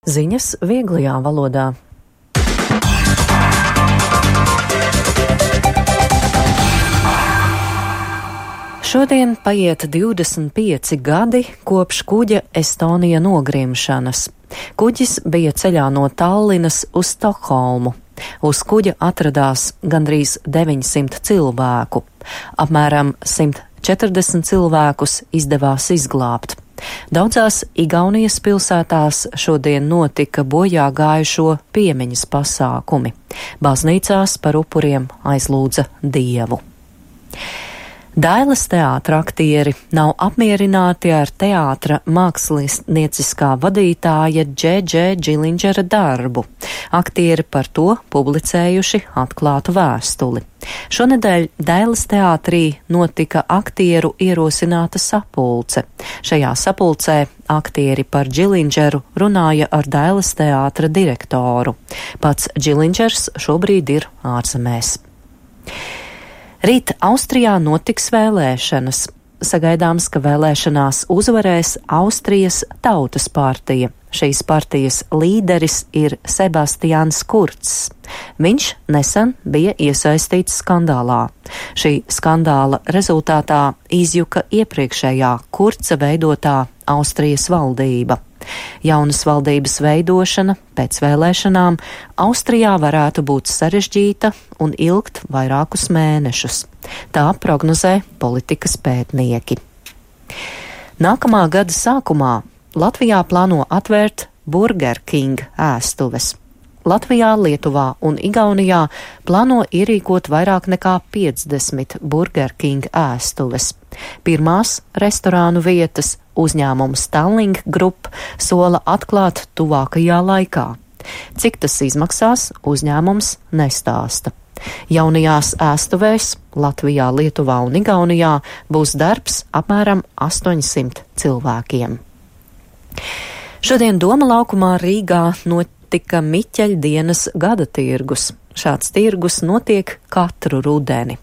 Ziņas vieglajā valodā. Šodien paiet 25 gadi kopš kuģa Estonija nogrimšanas. Kuģis bija ceļā no Tallinas uz Stokholmu. Uz kuģa atradās gandrīz 900 cilvēku. Apmēram 140 cilvēkus izdevās izglābt. Daudzās Igaunijas pilsētās šodien notika bojā gājušo piemiņas pasākumi. Baznīcās par upuriem aizlūdza Dievu. Dailes teātra aktieri nav apmierināti ar teātra mākslinieciskā vadītāja Džedže Džilindžera darbu. Aktieri par to publicējuši atklātu vēstuli. Šonedēļ Dailes teātrī notika aktieru ierosināta sapulce. Šajā sapulcē aktieri par Džilindžeru runāja ar Dailes teātra direktoru. Pats Džilindžers šobrīd ir ārzemēs. Rīt Austrijā notiks vēlēšanas. Sagaidāms, ka vēlēšanās uzvarēs Austrijas Tautas partija. Šīs partijas līderis ir Sebastians Kurcs. Viņš nesen bija iesaistīts skandālā. Šī skandāla rezultātā izjuka iepriekšējā Kurca veidotā Austrijas valdība. Jaunas valdības veidošana pēc vēlēšanām Austrijā varētu būt sarežģīta un ilgt vairākus mēnešus. Tā prognozē politikas pētnieki. Nākamā gada sākumā Latvijā plāno atvērt Burger King ēstuves. Latvijā, Lietuvā un Igaunijā plāno ierīkot vairāk nekā 50 Burger King ēstuves. Pirmās restorānu vietas uzņēmums Tallink Group sola atklāt tuvākajā laikā. Cik tas izmaksās, uzņēmums nestāsta. Jaunajās ēstuvēs Latvijā, Lietuvā un Igaunijā būs darbs apmēram 800 cilvēkiem. Šodien Doma laukumā Rīgā notika Miķeļdienas gada tirgus. Šāds tirgus notiek katru rudeni.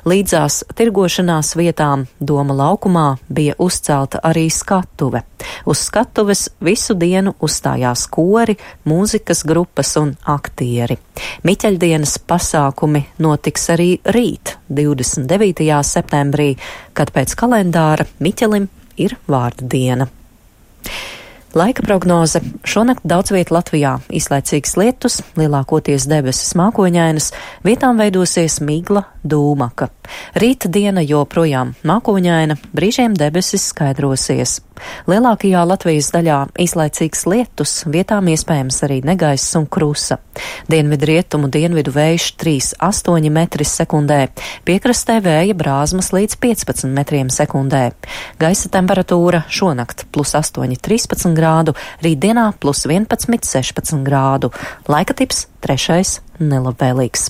Līdzās tirgošanās vietām Doma laukumā bija uzcelta arī skatuve. Uz skatuves visu dienu uzstājās kori, mūzikas grupas un aktieri. Miķeļdienas pasākumi notiks arī rīt, 29. septembrī, kad pēc kalendāra Miķelim ir vārda diena. Laika prognoze. Šonakt daudz viet Latvijā īslaicīgs lietus, lielākoties debesis mākoņainas, vietām veidosies migla, dūmaka. Rīta diena joprojām mākoņaina, brīžiem debesis skaidrosies. Lielākajā Latvijas daļā īslaicīgs lietus, vietām iespējams arī negaiss un krusa. Dienvidrietumu dienvidu vējš 3,8 metri sekundē, piekrastē vēja brāzmas līdz 15 metriem sekundē. Gaisa temperatūra šonakt +8, 13 grādu, rītdienā +11, 16 grādu. Laika tips 3. nelabvēlīgs.